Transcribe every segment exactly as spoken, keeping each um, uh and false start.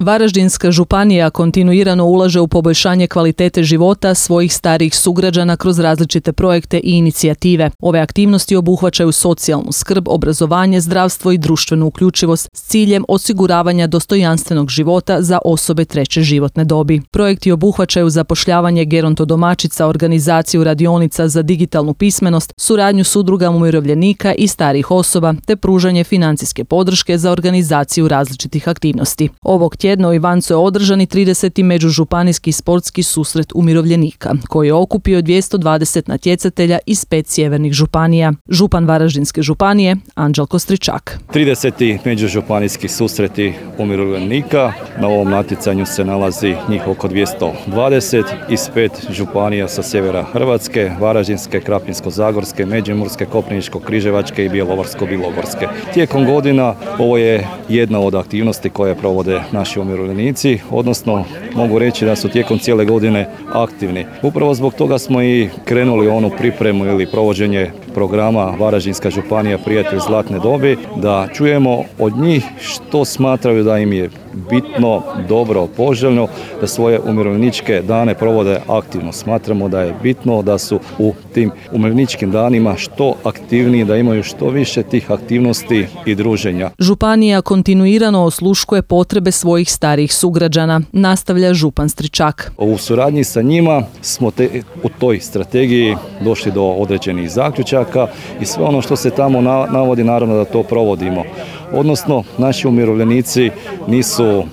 Varaždinska županija kontinuirano ulaže u poboljšanje kvalitete života svojih starijih sugrađana kroz različite projekte i inicijative. Ove aktivnosti obuhvaćaju socijalnu skrb, obrazovanje, zdravstvo i društvenu uključivost s ciljem osiguravanja dostojanstvenog života za osobe treće životne dobi. Projekti obuhvaćaju zapošljavanje gerontodomaćica, organizaciju radionica za digitalnu pismenost, suradnju s udrugama umirovljenika i starijih osoba te pružanje financijske podrške za organizaciju različitih aktivnosti. Ovog tjedna u Ivancu je održan i trideseti međužupanijski sportski susret umirovljenika, koji je okupio dvjesto dvadeset natjecatelja iz pet sjevernih županija. Župan Varaždinske županije Anđelko Stričak. trideseti međužupanijski susreti umirovljenika. Na ovom natjecanju se nalazi njih oko dvjesto dvadeset iz pet županija sa sjevera Hrvatske, Varaždinske, Krapinsko-zagorske, Međimurske, Koprivničko-križevačke i Bjelovarsko-bilogorske. Tijekom godina ovo je jedna od aktivnosti koje provode naši umirovljenici, odnosno mogu reći da su tijekom cijele godine aktivni. Upravo zbog toga smo i krenuli onu pripremu ili provođenje programa Varaždinska županija Prijatelj zlatne dobi, da čujemo od njih što smatraju da im je bitno, dobro, poželjno, da svoje umirovljeničke dane provode aktivno. Smatramo da je bitno da su u tim umirovljeničkim danima što aktivniji, da imaju što više tih aktivnosti i druženja. Županija kontinuirano osluškuje potrebe svojih starijih sugrađana, nastavlja župan Stričak. U suradnji sa njima smo te, u toj strategiji došli do određenih zaključaka i sve ono što se tamo navodi, naravno da to provodimo. Odnosno, naši umirovljenici nisu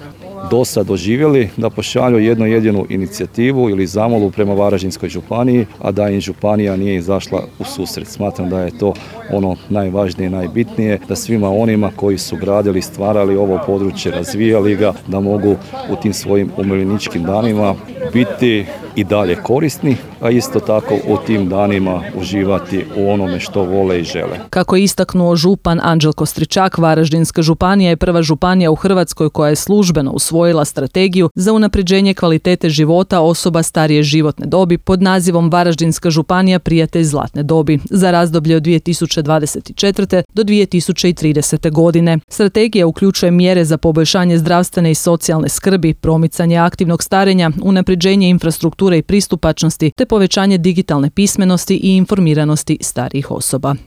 do sad doživjeli da pošalju jednu jedinu inicijativu ili zamolu prema Varaždinskoj županiji, a da im županija nije izašla u susret. Smatram da je to ono najvažnije, najbitnije, da svima onima koji su gradili, stvarali ovo područje, razvijali ga, da mogu u tim svojim umirovljeničkim danima biti i dalje korisni, a isto tako u tim danima uživati u onome što vole i žele. Kako je istaknuo župan Anđelko Stričak, Varaždinska županija je prva županija u Hrvatskoj koja je službeno usvojila strategiju za unapređenje kvalitete života osoba starije životne dobi pod nazivom Varaždinska županija Prijatelj zlatne dobi za razdoblje od dvije tisuće dvadeset četvrte do dvije tisuće tridesete godine. Strategija uključuje mjere za poboljšanje zdravstvene i socijalne skrbi, promicanje aktivnog starenja, unapređenje infrastrukture i pristupačnosti te povećanje digitalne pismenosti i informiranosti starijih osoba.